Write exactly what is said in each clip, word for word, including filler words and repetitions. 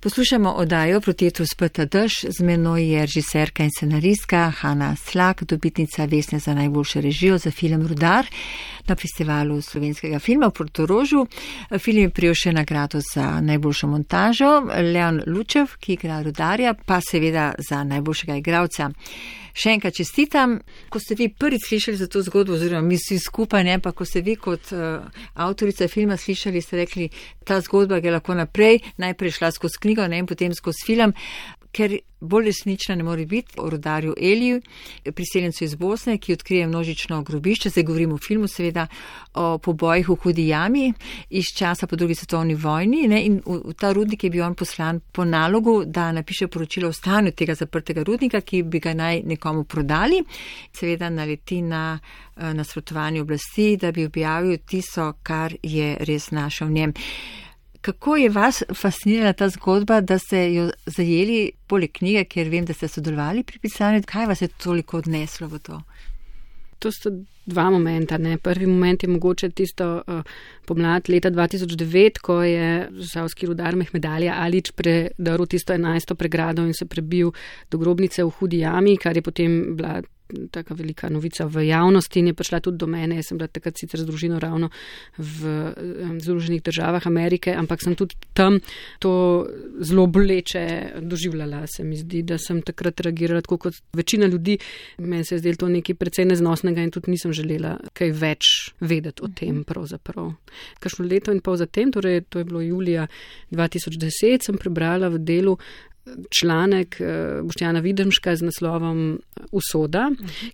Poslušamo oddajo Protetru speta dež, z menoj je režiserka in scenaristka Hanna Slak, dobitnica Vesne za najboljšo režijo za film Rudar na festivalu slovenskega filma v Portorožu. Film je prijel še nagrado za najboljšo montažo, Leon Lučev, ki igra Rudarja, pa seveda za najboljšega igralca. Še enkrat čestitam, ko ste vi prvi slišali za to zgodbo, oziroma mi vsi skupaj, ne, pa ko ste vi kot uh, avtorica filma slišali, ste rekli, ta zgodba gre lahko naprej, najprej šla skozi knjigo, ne, in potem skozi film, ker bolj resnična ne more biti o Rudarju Eliju, priseljencu iz Bosne, ki odkrije množično grobišče, zdaj govorimo o filmu seveda, o pobojih v Hudi jami iz časa po drugi svetovni vojni, ne, in v, v ta rudnik je bil on poslan po nalogu, da napiše poročilo o stanju tega zaprtega rudnika, ki bi ga naj nekomu prodali. Seveda naleti na nasprotovanje oblasti, da bi objavil tisto, kar je res našel v njem. Kako je vas fascinirala ta zgodba, da ste jo zajeli poleg knjige, ker vem, da ste sodelovali pri pisanju? Kaj vas je toliko odneslo v to? To sta dva momenta. Ne? Prvi moment je mogoče tisto uh, pomlad leta dva tisoč devet, ko je zasavski rudar Mehmedalija Alić predrl tisto enajsto pregrado in se prebil do grobnice v Hudi jami, kar je potem bila taka velika novica v javnosti in je prišla tudi do mene. Jaz sem bila takrat sicer z družino ravno v Združenih državah Amerike, ampak sem tudi tam to zelo boleče doživljala. Se mi zdi, da sem takrat reagirala tako kot večina ljudi. Meni se je zdelo to nekaj precej neznosnega in tudi nisem želela kaj več vedeti o tem pravzaprav. Kakšno leto in pol zatem, torej to je bilo julija dva tisoč deset, sem prebrala v Delu članek Boštjana Videmška z naslovom Usoda.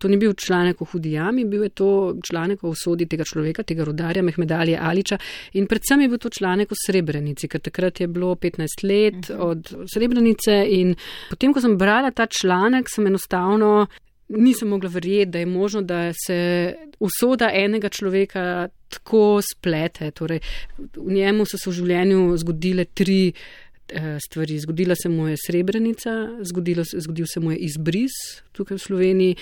To ni bil članek o Hudi jami, bil je to članek o usodi tega človeka, tega rudarja Mehmedalije Alića in predvsem je bil to članek o Srebrenici, ker takrat je bilo petnajst let od Srebrenice in potem, ko sem brala ta članek, sem enostavno nisem mogla verjeti, da je možno, da se usoda enega človeka tako splete. Torej, v njemu so se v življenju zgodile tri stvari. Zgodila se mu je Srebrenica, zgodilo, zgodil se mu je izbris tukaj v Sloveniji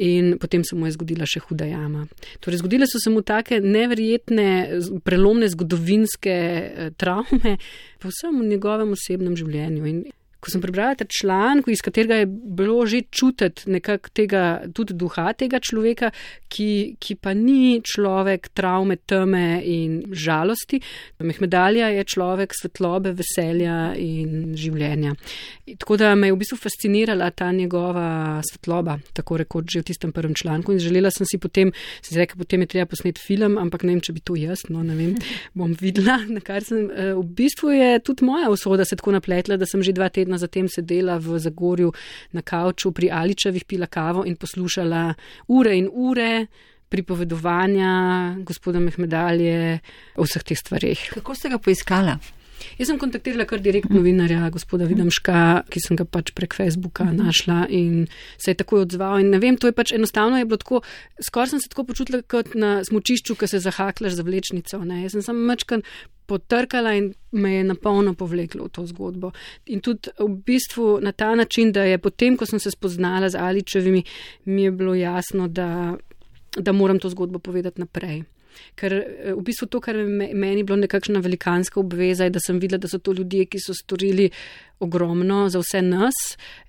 in potem se mu je zgodila še Huda jama. Torej, zgodile so se mu take neverjetne, prelomne zgodovinske travme po vsem v njegovem osebnem življenju. In ko sem prebrala ta članek, iz katerega je bilo že čutiti nekako tega, tudi duha tega človeka, ki, ki pa ni človek travme, teme in žalosti. Mehmedalija je človek svetlobe, veselja in življenja. Tako da me je v bistvu fascinirala ta njegova svetloba, tako rekoč že v tistem prvem članku in želela sem si potem, sem si rekla, potem je treba posneti film, ampak ne vem, če bi to jaz, no ne vem, bom videla, na kar sem, v bistvu je tudi moja usoda se tako napletla, da sem že dva tedna zatem sedela v Zagorju na kavču pri Aličevih, pila kavo in poslušala ure in ure pripovedovanja gospoda Mehmedalije o vseh teh stvareh. Kako ste ga poiskala? Jaz sem kontaktirala kar direkt novinarja, gospoda Videmška, ki sem ga pač prek Facebooka našla in se je takoj odzval. In ne vem, to je pač enostavno je bilo tako, skoraj sem se tako počutila kot na smučišču, ko se zahaklaš za vlečnico. Ne? Jaz sem samo mačkan potrkala in me je napolno povleklo v to zgodbo. In tudi v bistvu na ta način, da je potem, ko sem se spoznala z Aličevimi, mi je bilo jasno, da, da moram to zgodbo povedati naprej. Ker v bistvu to, kar meni bilo nekakšna velikanska obveza, je, da sem videla, da so to ljudje, ki so storili ogromno za vse nas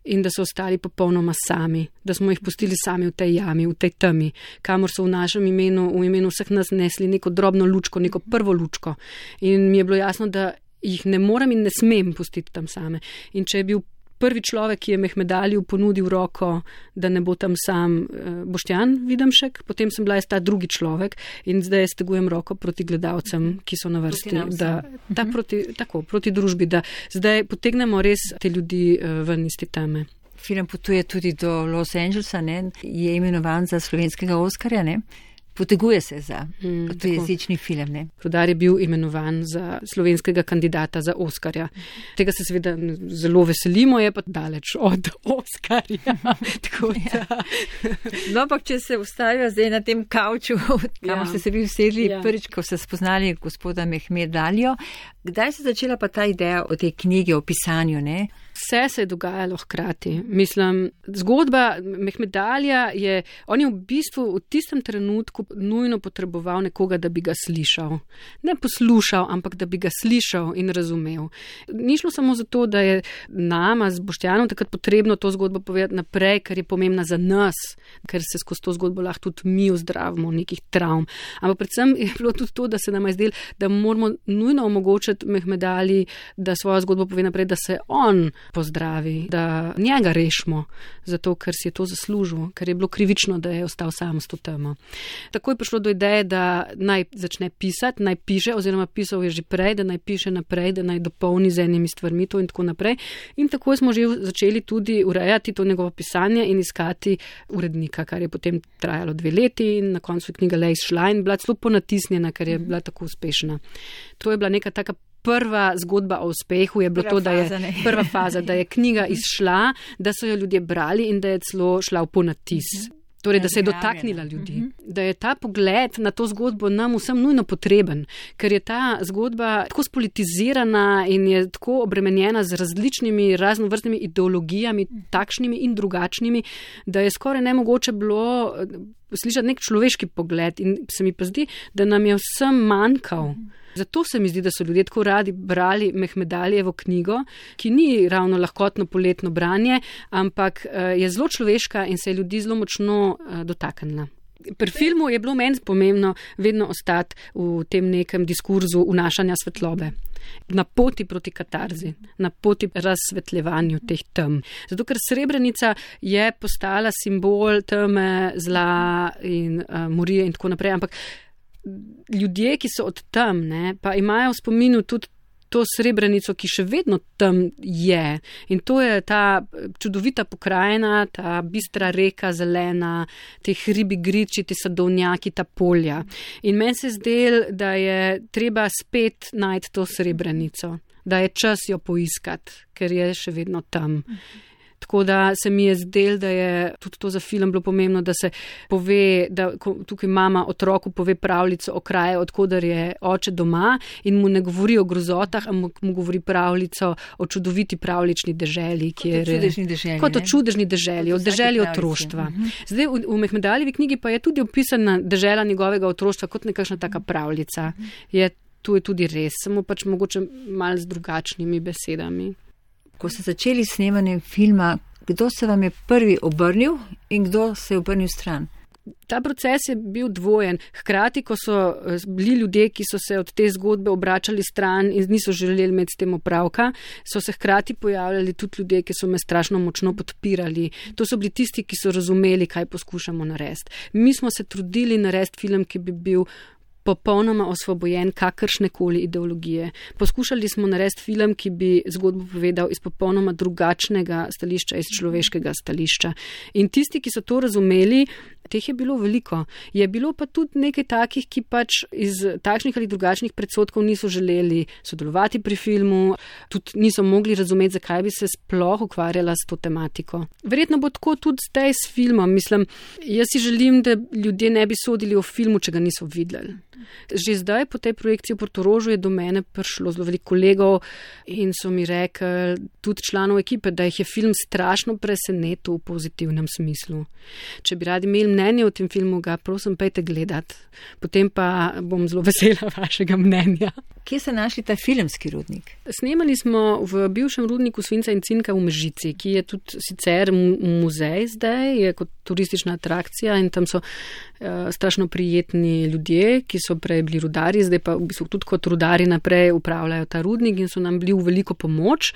in da so ostali popolnoma sami, da smo jih pustili sami v tej jami, v tej temi, kamor so v našem imenu, v imenu vseh nas nesli neko drobno lučko, neko prvo lučko. In mi je bilo jasno, da jih ne morem in ne smem pustiti tam same. In če je bil prvi človek, ki je Mehmedaliju ponudil roko, da ne bo tam sam Boštjan Videmšek, potem sem bila jaz ta drugi človek in zdaj stegujem roko proti gledalcem, ki so na vrsti, da, da proti, tako, proti družbi, da zdaj potegnemo res te ljudi ven iz te teme. Film potuje tudi do Los Angelesa, ne? Je imenovan za slovenskega Oskarja, ne? Poteguje se za mm, tujezični film, ne? Rudar je bil imenovan za slovenskega kandidata za Oskarja. Tega se seveda zelo veselimo, je pa daleč od Oskarja. Tako da. No, ampak če se ustavijo zdaj na tem kavču, kamor ste se vi usedli ja. Prvič, ko ste spoznali gospoda Mehmedalijo, kdaj se začela pa ta ideja o tej knjigi, o pisanju, ne? Vse se je dogajalo hkrati. Mislim, zgodba Mehmedalija je, on je v bistvu v tistem trenutku otroku nujno potreboval nekoga, da bi ga slišal. Ne poslušal, ampak da bi ga slišal in razumel. Ni šlo samo zato, da je nama z Boštjanom takrat potrebno to zgodbo povedati naprej, ker je pomembna za nas, ker se skozi to zgodbo lahko tudi mi ozdravimo nekih travm. Ampak predvsem je bilo tudi to, da se nam je zdelo, da moramo nujno omogočiti Mehmedali, da svojo zgodbo pove naprej, da se on pozdravi, da njega rešimo, zato ker si je to zaslužil, ker je bilo krivično, da je ostal sam s to temo. Tako je prišlo do ideje, da naj začne pisati, naj piše, oziroma pisal je že prej, da naj piše naprej, da naj dopolni z enimi stvarmi to in tako naprej. In tako smo že začeli tudi urejati to njegovo pisanje in iskati urednika, kar je potem trajalo dve leti in na koncu je knjiga le izšla in bila celo ponatisnjena, ker je bila tako uspešna. To je bila neka taka prva zgodba o uspehu, je bilo prva to, da je faza, prva faza, da je knjiga izšla, da so jo ljudje brali in da je celo šla v ponatis. Torej, da se je dotaknila ljudi. Da je ta pogled na to zgodbo nam vsem nujno potreben, ker je ta zgodba tako spolitizirana in je tako obremenjena z različnimi raznovrstnimi ideologijami, takšnimi in drugačnimi, da je skoraj nemogoče bilo slišati nek človeški pogled in se mi pa zdi, da nam je vsem manjkal. Zato se mi zdi, da so ljudje tako radi brali Mehmedalijevo knjigo, ki ni ravno lahkotno poletno branje, ampak je zelo človeška in se je ljudi zelo močno dotaknila. Pri filmu je bilo meni pomembno vedno ostati v tem nekem diskurzu vnašanja svetlobe. Na poti proti katarzi, na poti razsvetljevanju teh tem. Zato, ker Srebrenica je postala simbol teme, zla in uh, morije in tako naprej, ampak ljudje, ki so od tam, ne, pa imajo v spominu tudi to Srebrenico, ki še vedno tam je. In to je ta čudovita pokrajina, ta bistra reka, zelena, te hribi, griči, ti sadovnjaki, ta polja. In meni se zdel, da je treba spet najti to Srebrenico, da je čas jo poiskati, ker je še vedno tam. Tako da se mi je zdel, da je tudi to za film bilo pomembno, da se pove, da tukaj mama otroku pove pravljico o kraju, odkudar je oče doma in mu ne govori o grozotah, ampak mu govori pravljico o čudoviti pravlični deželi. Kot o čudežni deželi. Kot o čudežni deželi, o deželi otroštva. Uh-huh. Zdaj v, v Mehmedalijevi knjigi pa je tudi opisana dežela njegovega otroštva kot nekakšna taka pravljica. Je, tu je tudi res, samo pač mogoče malo z drugačnimi besedami. Ko ste začeli snemanjem filma, kdo se vam je prvi obrnil in kdo se je obrnil stran? Ta proces je bil dvojen. Hkrati, ko so bili ljudje, ki so se od te zgodbe obračali stran in niso želeli imeti s tem opravka, so se hkrati pojavljali tudi ljudje, ki so me strašno močno podpirali. To so bili tisti, ki so razumeli, kaj poskušamo narediti. Mi smo se trudili narediti film, ki bi bil popolnoma osvobojen kakršnekoli ideologije. Poskušali smo narediti film, ki bi zgodbo povedal iz popolnoma drugačnega stališča, iz človeškega stališča. In tisti, ki so to razumeli, teh je bilo veliko. Je bilo pa tudi nekaj takih, ki pač iz takšnih ali drugačnih predsodkov niso želeli sodelovati pri filmu, tudi niso mogli razumeti, zakaj bi se sploh ukvarjala s to tematiko. Verjetno bo tako tudi zdaj s filmom. Mislim, jaz si želim, da ljudje ne bi sodili o filmu, če ga niso videli. Že zdaj po tej projekciji v Portorožu je do mene prišlo zelo veliko kolegov in so mi rekli, tudi članov ekipe, da jih je film strašno presenetil v pozitivnem smislu. Če bi radi imeli mnenje o tem filmu, ga prosim pejte gledati. Potem pa bom zelo vesela vašega mnenja. Kje ste našli ta filmski rudnik? Snemali smo v bivšem rudniku Svinca in Cinka v Mežici, ki je tudi sicer muzej zdaj, je kot turistična atrakcija in tam so uh, strašno prijetni ljudje, ki so prej bili rudari, zdaj pa v bistvu tudi kot rudari naprej upravljajo ta rudnik in so nam bili v veliko pomoč.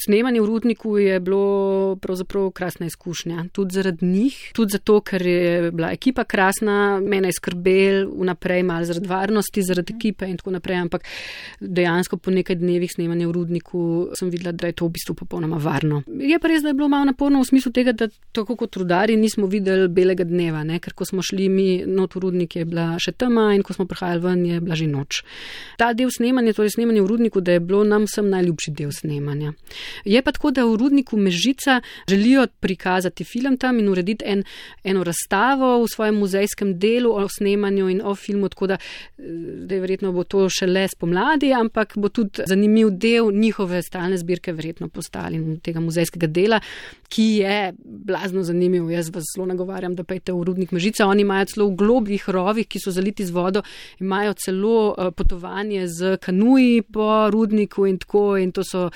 Snemanje v rudniku je bilo pravzaprav krasna izkušnja, tudi zaradi njih, tudi zato, ker je bila ekipa krasna, mene je skrbel vnaprej malo zaradi varnosti, zaradi ekipe in tako naprej, ampak dejansko po nekaj dnevih snemanja v rudniku sem videla, da je to v bistvu popolnoma varno. Je pa res, da je bilo malo naporno v smislu tega, da tako kot rudari nismo videli belega dneva, ne? Ker ko smo šli mi not v rudnik, je bila še tema in ko smo prihajali ven, je bila že noč. Ta del snemanja, torej snemanje v Rudniku, da je bilo nam vsem najljubši del snemanja. Je pa tako, da v Rudniku Mežica želijo prikazati film tam in urediti en, eno razstavo v svojem muzejskem delu o snemanju in o filmu, tako da, da verjetno bo to šele spomladi, ampak bo tudi zanimiv del njihove stalne zbirke verjetno postali tega muzejskega dela, ki je blazno zanimiv. Jaz vas zelo nagovarjam, da pejte v Rudnik Mežica. Oni imajo celo v globljih rovih, ki so zaliti z vodo, imajo celo potovanje z kanuji po Rudniku in tako, in to so,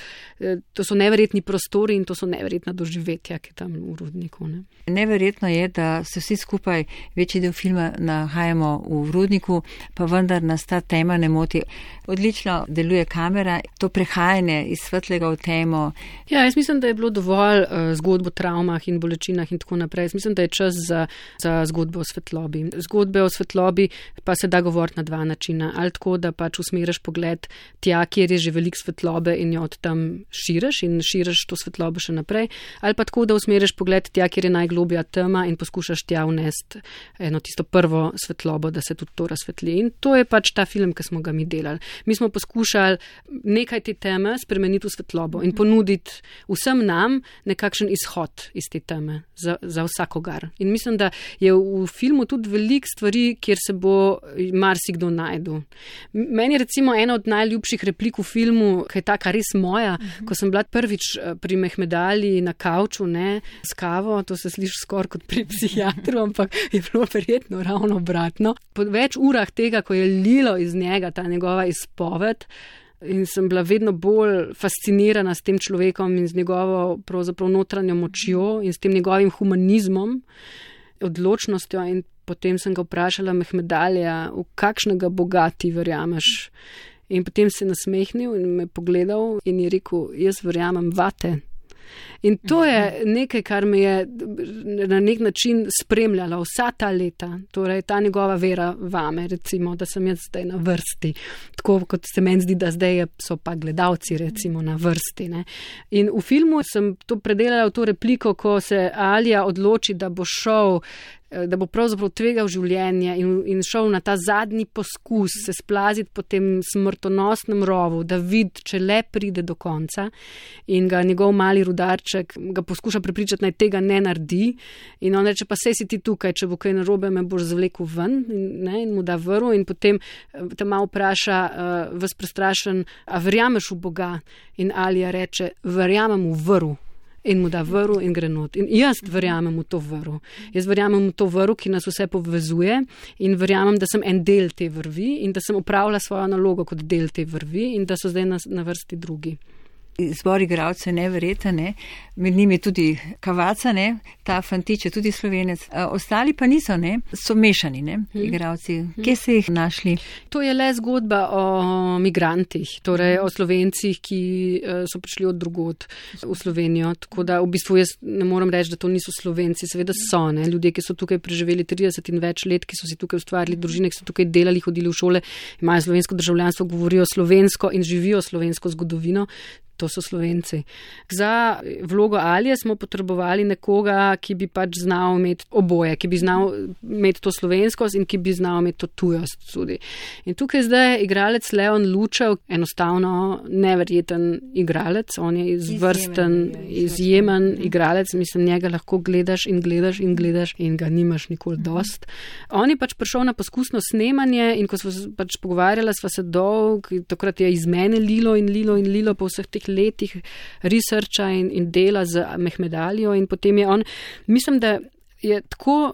to so neverjetni prostori in to so neverjetna doživetja, ki tam v Rudniku. Ne. Neverjetno je, da se vsi skupaj večji del filma nahajamo v Rudniku, pa vendar nas ta tema ne moti. Odlično deluje kamera, to prehajanje iz svetlega v temo. Ja, jaz mislim, da je bilo dovolj uh, zgodb o travmah in bolečinah in tako naprej. Jaz mislim, da je čas za, za zgodbo o svetlobi. Zgodbe o svetlobi pa se da govoriti na dva načina. Ali tako, da pač usmeriš pogled tja, kjer je že veliko svetlobe in jo od tam širiš in širiš to svetlobo še naprej. Ali pa tako, da usmeriš pogled tja, kjer je najglobja tema in poskušaš tja vnesti eno tisto prvo svetlobo, da se tudi to razsvetli. In to je pač ta film, ki smo ga mi delali. Mi smo poskušali nekaj te teme spremeniti v svetlobo in ponuditi vsem nam nekakšen izhod iz te teme za, za vsakogar. In mislim, da je v filmu tudi veliko stvari, kjer se bo marsikdo najdu. Meni je recimo ena od najljubših replik v filmu, ki je taka res moja, uh-huh. ko sem bila prvič pri Mehmedali na kavču, ne, s kavo, to se sliši skoraj kot pri psihiatru, ampak je bilo verjetno ravno obratno. Po več urah tega, ko je lilo iz njega ta njegova izpoved, in sem bila vedno bolj fascinirana s tem človekom in z njegovo pravzaprav notranjo močjo in s tem njegovim humanizmom, odločnostjo, in potem sem ga vprašala Mehmedalija, v kakšnega Boga ti verjameš. In potem se je nasmehnil in me pogledal in je rekel, jaz verjamem vate. In to je nekaj, kar me je na nek način spremljalo vsa ta leta, torej ta njegova vera vame, recimo, da sem jaz zdaj na vrsti, tako kot se meni zdi, da zdaj so pa gledalci recimo na vrsti. Ne. In v filmu sem to predelala v to repliko, ko se Alija odloči, da bo šel, da bo pravzaprav tvegal življenje in, in šel na ta zadnji poskus se splaziti po tem smrtonosnem rovu, da vidi, če le pride do konca, in ga njegov mali rudarček ga poskuša prepričati, naj tega ne naredi, in on reče, pa sej si ti tukaj, če bo kaj narobe, me boš zvlekel ven, in, ne, in mu da vrv, in potem te malo vpraša, uh, vas prestrašen, a verjameš v Boga? In Alija reče, verjamem v vrv. In mu da vrv in gre not. In jaz verjamem v to vrv. Jaz verjamem v to vrv, ki nas vse povezuje, in verjamem, da sem en del te vrvi in da sem opravila svojo nalogo kot del te vrvi in da so zdaj na, na vrsti drugi. Zbor igralcev je neverjeten, ne? Med njimi tudi Kavaca, ne? Ta fantič je tudi Slovenec. Ostali pa niso, ne? So mešani, ne? Igralci. Kje se jih našli? To je le zgodba o migrantih, torej o Slovencih, ki so prišli od drugod v Slovenijo. Tako da v bistvu jaz ne moram reči, da to niso Slovenci. Seveda so, ne? Ljudje, ki so tukaj preživeli trideset in več let, ki so si tukaj ustvarili družine, ki so tukaj delali, hodili v šole, imajo slovensko državljanstvo, govorijo slovensko in živijo slovensko zgodovino. To so Slovenci. Za vlogo Alije smo potrebovali nekoga, ki bi pač znal imeti oboje, ki bi znal imeti to slovenskost in ki bi znal imeti to tujost tudi. In tukaj zdaj igralec Leon Lučev, enostavno neverjeten igralec, on je izvrsten, izjemen igralec, mislim, njega lahko gledaš in gledaš in gledaš in ga nimaš nikoli dost. On je pač prišel na poskusno snemanje in ko smo pač pogovarjala, sva se dolg, takrat je iz mene lilo in lilo in lilo po vseh teh letih researcha in, in dela z Mehmedalijo, in potem je on, mislim, da je tako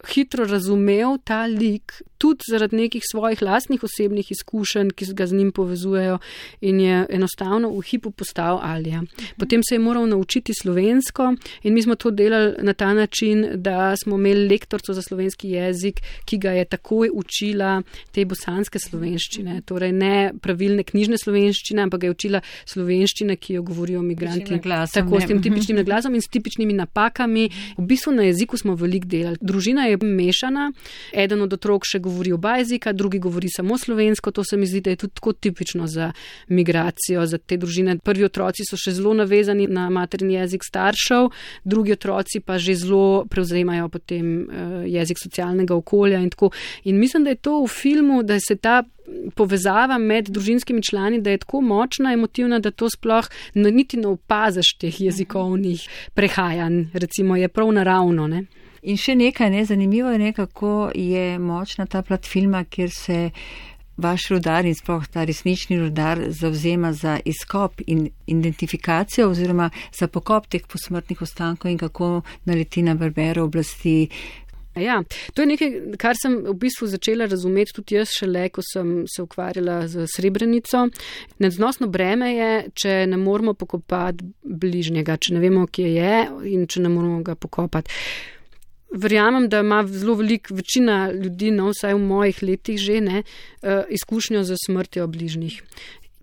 hitro razumel ta lik, tudi zaradi nekih svojih lastnih osebnih izkušenj, ki ga z njim povezujejo, in je enostavno v hipu postal Alija. Potem se je moral naučiti slovensko in mi smo to delali na ta način, da smo imeli lektorico za slovenski jezik, ki ga je takoj učila te bosanske slovenščine, torej ne pravilne knjižne slovenščine, ampak ga je učila slovenščine, ki jo govorijo migranti, tako s tem tipičnim naglasom in s tipičnimi napakami. V bistvu na jeziku smo veliko delali. Družina je mešana, eden od otrok še govori oba jezika, drugi govori samo slovensko. To se mi zdi, da je tudi tako tipično za migracijo, za te družine. Prvi otroci so še zelo navezani na materni jezik staršev, drugi otroci pa že zelo prevzemajo potem jezik socialnega okolja in tako. In mislim, da je to v filmu, da se ta povezava med družinskimi člani, da je tako močna, emotivna, da to sploh niti ne opaziš teh jezikovnih prehajanj, recimo je prav naravno, ne. In še nekaj, ne, zanimivo je, ne, kako je močna ta plat filma, kjer se vaš rudar in sploh ta resnični rudar zavzema za izkop in identifikacijo oziroma za pokop teh posmrtnih ostankov in kako naleti na barbero oblasti. Ja, to je nekaj, kar sem v bistvu začela razumeti tudi jaz šele, ko sem se ukvarjala z Srebrenico. Nedznosno breme je, če ne moramo pokopati bližnjega, če ne vemo, kje je in če ne moramo ga pokopati. Verjamem, da ima zelo veliko večina ljudi, no, vsaj v mojih letih že, ne, izkušnjo z smrtjo bližnjih.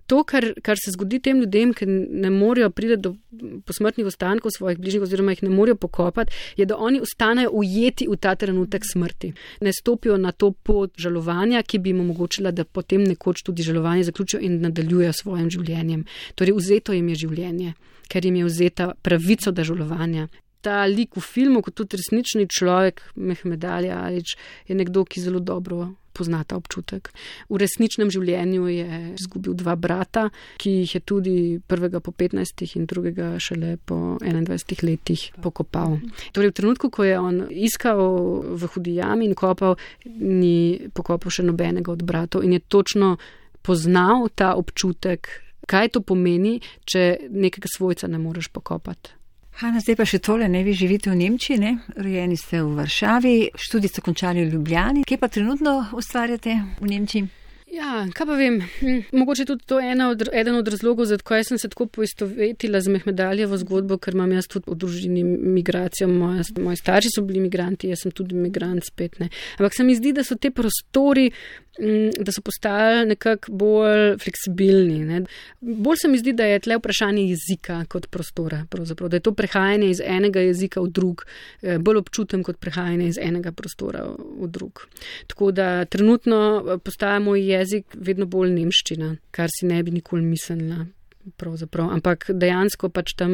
To, kar, kar se zgodi tem ljudem, ki ne morejo priti do posmrtnih ostankov svojih bližnjih oziroma jih ne morejo pokopati, je, da oni ostanejo ujeti v ta trenutek smrti. Ne stopijo na to pot žalovanja, ki bi jim omogočila, da potem nekoč tudi žalovanje zaključijo in nadaljujejo svojim življenjem. Torej, vzeto jim je življenje, ker jim je vzeta pravico do žalovanja. Ta lik v filmu, kot tudi resnični človek, Mehmed Ali Alić, je nekdo, ki zelo dobro pozna ta občutek. V resničnem življenju je izgubil dva brata, ki jih je tudi prvega po petnajstih in drugega šele po enaindvajsetih letih pokopal. Torej, v trenutku, ko je on iskal v hudi jami in kopal, ni pokopal še nobenega od bratov in je točno poznal ta občutek, kaj to pomeni, če nekega svojca ne moreš pokopati. Hana, zdaj pa še tole, ne, vi živite v Nemčiji, ne, rojeni ste v Varšavi, študij ste končali v Ljubljani. Kje pa trenutno ustvarjate v Nemčiji? Ja, kaj pa vem, mogoče tudi to ena od, eden od razlogov, zakaj sem se tako poistovetila z Mehmed Alijevo zgodbo, ker imam jaz tudi v družini migracijo, moja, moji starši so bili migranti, jaz sem tudi migrant spet, ne. Ampak se mi zdi, da so te prostori, da so postali nekako bolj fleksibilni, ne. Bolj se mi zdi, da je tle vprašanje jezika kot prostora, pravzaprav, da je to prehajanje iz enega jezika v drug, bolj občutem kot prehajanje iz enega prostora v drug. Tako da trenutno postaja moj jezik vedno bolj nemščina, kar si ne bi nikoli mislila. Pravzaprav. Ampak dejansko pač tam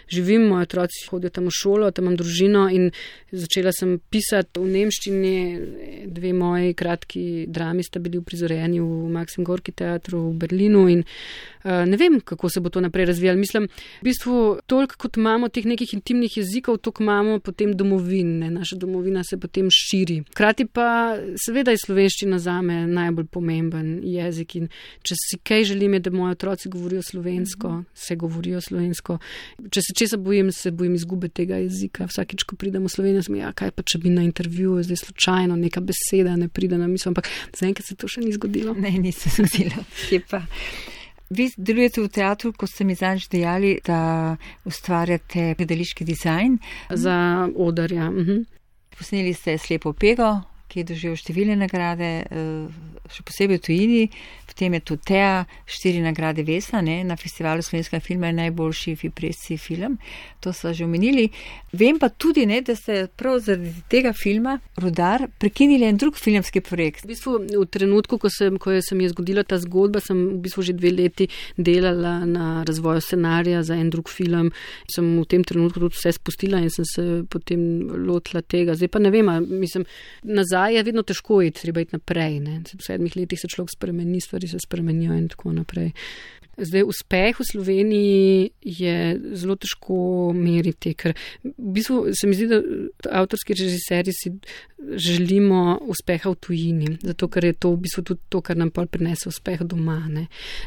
živim, moji otroci hodijo tam v šolo, tam imam družino in začela sem pisati v nemščini. Dve moji kratki drami sta bili uprizorjeni v Maxim Gorki teatru v Berlinu in uh, ne vem, kako se bo to naprej razvijalo. Mislim, v bistvu toliko, kot imamo teh nekih intimnih jezikov, toliko imamo potem domovin, ne? Naša domovina se potem širi. Hkrati pa seveda je slovenščina zame najbolj pomemben jezik in če si kaj želim, je, da moji otroci govorijo slovensko, se govorijo slovensko. Če se česa bojim, se bojim izgube tega jezika. Vsakič, ko pridem v Slovenijo, sem ja, kaj pa, če bi na intervjuju zdaj slučajno neka beseda ne pride na misel, ampak zaenkrat se to še ni zgodilo. Ne, ni se zgodilo. Kje pa? Vi delujete v teatru, ko ste mi zadnjič dejali, da ustvarjate gledališki dizajn. Za oder, ja. Mhm. Posneli ste Slepo pego, ki je doživel številne nagrade, še posebej v tujini, v tem je tudi Tea, štiri nagrade Vesna, ne, na festivalu slovenskega filma je najboljši Fipresci film, to so že omenili. Vem pa tudi, ne, da ste prav zaradi tega filma Rudar prekinili en drug filmski projekt. V bistvu v trenutku, ko, sem, ko se mi je zgodila ta zgodba, sem v bistvu že dve leti delala na razvoju scenarija za en drug film. Sem v tem trenutku tudi vse spustila in sem se potem lotila tega. Zdaj pa ne vem, mislim, nazaj je vedno težko iti, treba iti naprej. Ne. V sedmih letih se človek spremeni, stvari se spremenijo in tako naprej. Zdaj, uspeh v Sloveniji je zelo težko meriti, ker v bistvu se mi zdi, da avtorski režiserji si želimo uspeha v tujini, zato ker je to v bistvu tudi to, kar nam pol prinese uspeh doma. Ne.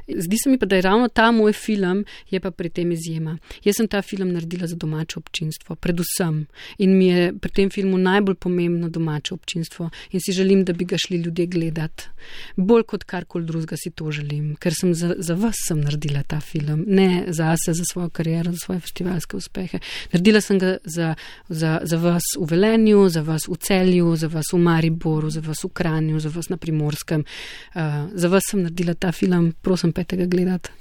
Zdi se mi pa, da je ravno ta moj film je pa pri tem izjema. Jaz sem ta film naredila za domače občinstvo, predvsem. In mi je pri tem filmu najbolj pomembno domače občinstvo in si želim, da bi ga šli ljudje gledati. Bolj kot karkoli drugega si to želim, ker sem za, za vas sem naredila ta film, ne zase, za svojo kariero, za svoje festivalske uspehe. Naredila sem ga za, za, za vas v Velenju, za vas v Celju, za vas v Mariboru, za vas v Kranju, za vas na Primorskem. Uh, za vas sem naredila ta film, prosim, petega gledati.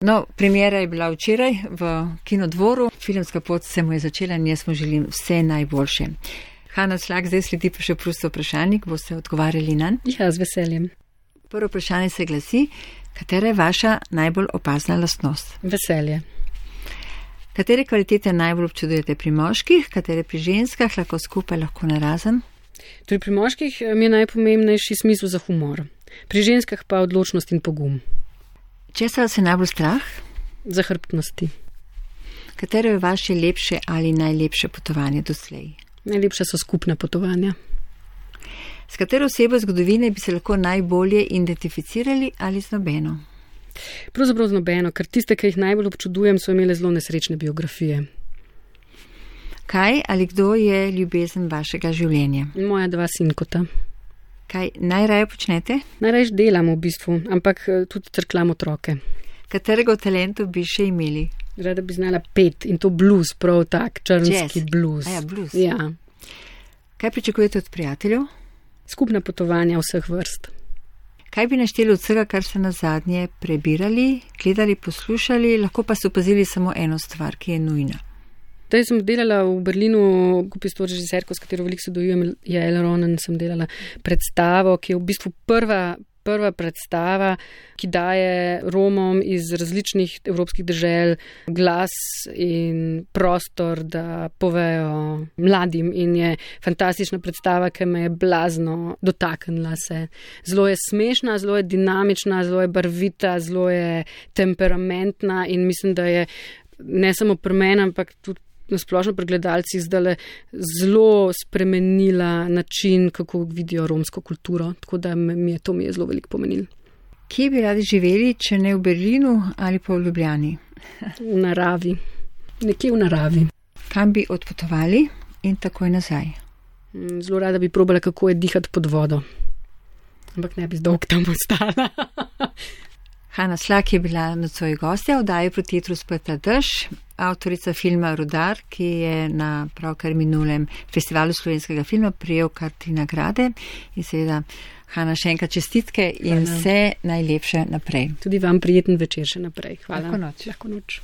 No, premiera je bila včeraj v Kinodvoru. Filmska pot se mu je začela in jaz mu želim vse najboljše. Hanna Slak, zdaj sledi pa še prosto vprašanje, boste odgovarjali nanj? Ja, z veseljem. Prvo vprašanje se glasi, katera je vaša najbolj opazna lastnost? Veselje. Katere kvalitete najbolj občudujete pri moških, katere pri ženskah, lahko skupaj, lahko narazen? Torej, pri moških mi je najpomembnejši smisel za humor, pri ženskah pa odločnost in pogum. Česa vas je najbolj strah? Zahrbtnosti. Katero je vaše lepše ali najlepše potovanje doslej? Najlepše so skupna potovanja. S katero osebo zgodovine bi se lahko najbolje identificirali ali z nobeno? Pravzaprav z nobeno, ker tiste, ki jih najbolj občudujem, so imele zelo nesrečne biografije. Kaj ali kdo je ljubezen vašega življenja? Moja dva sinkota. Kaj najraje počnete? Najraje delam v bistvu, ampak tudi crklam otroke. Katerega od talentov bi še imeli? Rada bi znala pet in to blues, prav tak, črnski blues. A ja, blues. Ja. Kaj pričakujete od prijateljev? Skupna potovanja vseh vrst. Kaj bi našteli od vsega, kar ste na zadnje prebirali, gledali, poslušali, lahko pa ste opazili samo eno stvar, ki je nujna? Zdaj sem delala v Berlinu, skupaj s to režiserko, s katero veliko sodelujem, Jael Ronen, sem delala predstavo, ki je v bistvu prva, prva predstava, ki daje Romom iz različnih evropskih dežel glas in prostor, da povejo mladim, in je fantastična predstava, ki me je blazno dotaknila se. Zelo je smešna, zelo je dinamična, zelo je barvita, zelo je temperamentna in mislim, da je ne samo pri meni, ampak tudi na splošno pri gledalcih zdaj zelo spremenila način, kako vidijo romsko kulturo, tako da mi je to mi je zelo veliko pomenilo. Kje bi radi živeli, če ne v Berlinu ali pa v Ljubljani? V naravi. Nekje v naravi. Kam bi odpotovali in takoj nazaj? Zelo rada bi probala, kako je dihati pod vodo. Ampak ne bi zdolg tam ostala. Hanna Slak je bila nocoj gostja v oddaji Proti jetru sprta dež, avtorica filma Rudar, ki je na pravkar minulem festivalu slovenskega filma prijel kar tri nagrade. In seveda, Hanna, še enkrat čestitke in Hvala. Vse najlepše naprej. Tudi vam prijeten večer še naprej. Hvala. Lahko noč. Lahko noč.